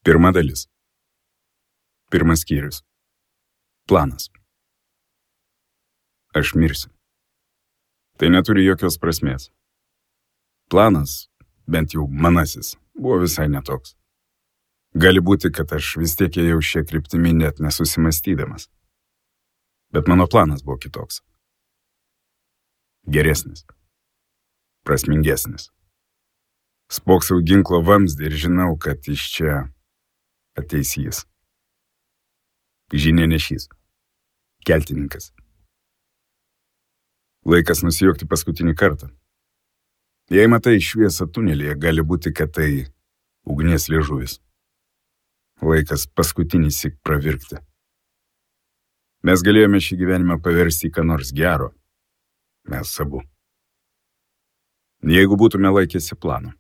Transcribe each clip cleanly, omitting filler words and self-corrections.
Pirma dalis. Pirmas skyrius. Planas. Aš mirsiu. Tai neturi jokios prasmės. Planas, bent jau manasis, buvo visai netoks. Gali būti, kad aš vis tiek ėjau šią kryptimį net nesusimastydamas. Bet mano planas buvo kitoks. Geresnis. Prasmingesnis. Spoksau ginklo vamzdį ir žinau, kad iš čia ateis jis. Žinianešys. Keltininkas. Laikas nusijuokti paskutinį kartą. Jei matai šviesą tunelyje, gali būti, kad tai ugnies liežuvis. Laikas paskutinį syk pravirkti. Mes galėjome šį gyvenimą paversti į ką nors gero. Mes abu. Jeigu būtume laikėsi plano.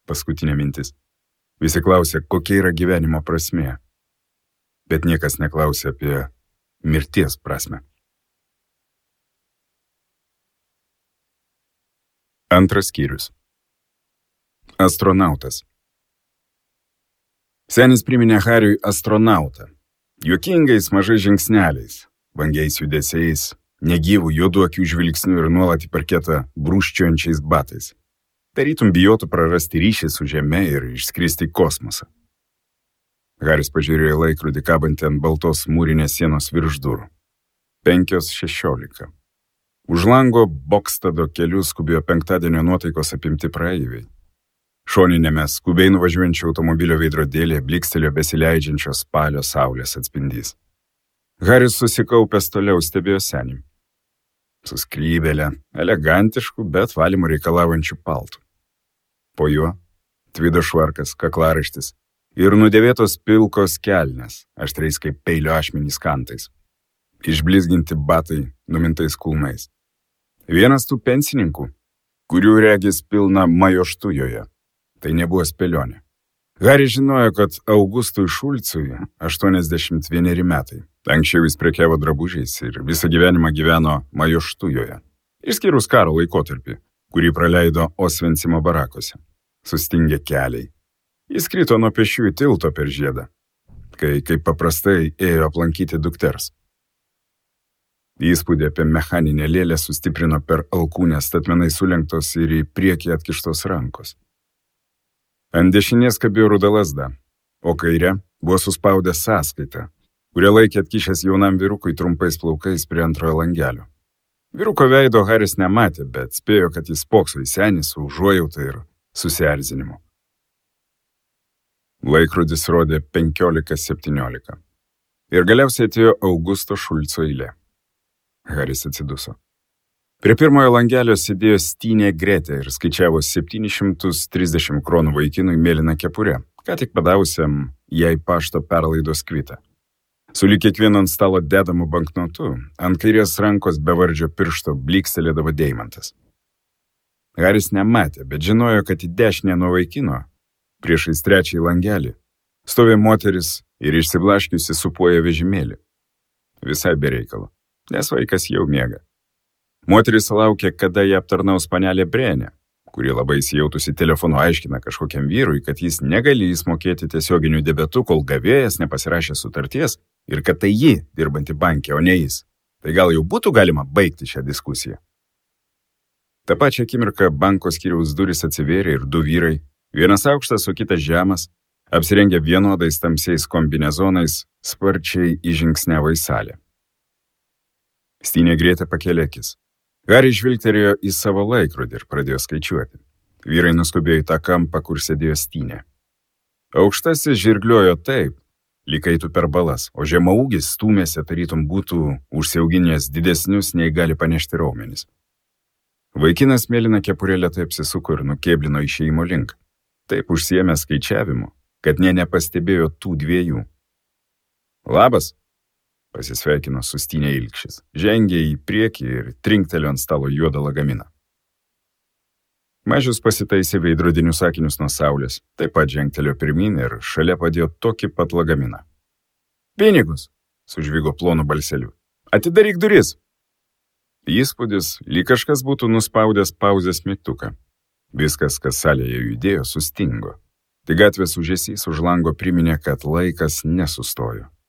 Paskutinė mintis. Visi klausia, kokia yra gyvenimo prasmė. Bet niekas neklausia apie mirties prasmę. Antras skyrius. Astronautas. Senis priminė Hariui astronautą. Juokingais mažais žingsneliais, vangiais judesiais, negyvų juodų akių žvilgsnių ir nuolat į parketą brūžčiojančiais batais. Tarytum bijotų prarasti ryšį su Žeme ir išskristi į kosmosą. Haris pažiūrėjo į laikrodį kabantį ant baltos mūrinės sienos virš durų. 5:16. Už lango Bokstado keliu skubėjo penktadienio nuotaikos apimti praeiviai. Šoninėme skubiai nuvažiuojančio automobilio veidrodėlėje blykstelėjo besileidžiančio spalio saulės atspindys. Haris susikaupęs toliau stebėjo senį. Su skrybėle, elegantišku, bet valymo reikalaujančiu paltu. Po juo tvido švarkas, kaklaraištis ir nudėvėtos pilkos kelnės, aštriais kaip peilio ašmenys kantais. Išblizginti batai numintais kulnais. Vienas tų pensininkų, kurių regis pilna majoštujoje. Tai nebuvo spėlionė. Haris žinojo, kad Augustui Šulcui 81 metai. Anksčiau jis prekiavo drabužiais ir visą gyvenimą gyveno majoštujoje. Išskyrus karo laikotarpį, kurį praleido Osvencimo barakuose. Sustingė keliai. Jis krito nuo pėsčiųjų tilto per žiedą, kai kaip paprastai ėjo aplankyti dukters. Įspūdį apie mechaninę lėlę sustiprino per alkūnę statmenai sulenktos ir į priekį atkištos rankos. Ant dešinės kabėjo ruda lazda, o kairė buvo suspaudęs sąskaitą, kurią laikė atkišęs jaunam vyrukui trumpais plaukais prie antrojo langelio. Vyruko veido Haris nematė, bet spėjo, kad jis spokso į senį su užuojauta ir susierzinimu. Laikrodis rodė 15:17. Ir galiausiai atėjo Augusto Šulco eilė. Haris atsiduso. Prie pirmojo langelio sėdėjo Stynė Gretė ir skaičiavo 730 kronų vaikinui mėlyną kepurę, ką tik padavusiam jai pašto perlaidos kvitą. Sulig kiekvienu ant stalo dedamu banknotu, ant kairės rankos bevardžio piršto blykstelėdavo deimantas. Haris nematė, bet žinojo, kad į dešinę nuo vaikino, priešais trečiąjį langelį, stovė moteris ir išsiblaškiusi supuoja vežimėlį. Visai be reikalo, nes vaikas jau miega. Moteris laukė, kada ją aptarnaus panelė Brenė, kuri labai įsijautusi telefonu aiškina kažkokiam vyrui, kad jis negalės mokėti tiesioginių debetų, kol gavėjas nepasirašė sutarties ir kad tai ji dirbanti banke, o ne jis. Tai gal jau būtų galima baigti šią diskusiją. Ta pačia akimirką banko skyriaus durys atsivėrė ir du vyrai, vienas aukštas, o kitas žemas, apsirengę vienodais tamsiais kombinezonais, sparčiai įžingsniavo į salę. Stynė Gretė pakėlė akis. Haris žvilgtelėjo į savo laikrodį ir pradėjo skaičiuoti. Vyrai nuskubėjo į tą kampą, kur sėdėjo Stynė. Aukštasis žirgliojo taip, lyg eitų per balas, o žemaūgis stūmėsi, tarytum būtų užsiauginęs didesnius nei gali panešti raumenis. Vaikinas mėlyną kepurę lėtai apsisuko ir nukėblino išėjimo link. Taip užsiėmė skaičiavimu, kad nepastebėjo tų dviejų. Labas, pasisveikino su Stynė Ilkšis, žengė į priekį ir trinktelėjo ant stalo juodą lagaminą. Mažius pasitaisė veidrodinius akinius nuo saulės, taip pat žengtelėjo pirmyn ir šalia padėjo tokį pat lagaminą. Pinigus, sužvigo plonu balseliu. Atidaryk duris. Įspūdis, lyg kažkas būtų nuspaudęs pauzės mygtuką. Viskas, kas salėje judėjo, sustingo. Tai gatvės ūžesys už lango priminė, kad laikas nesustojo.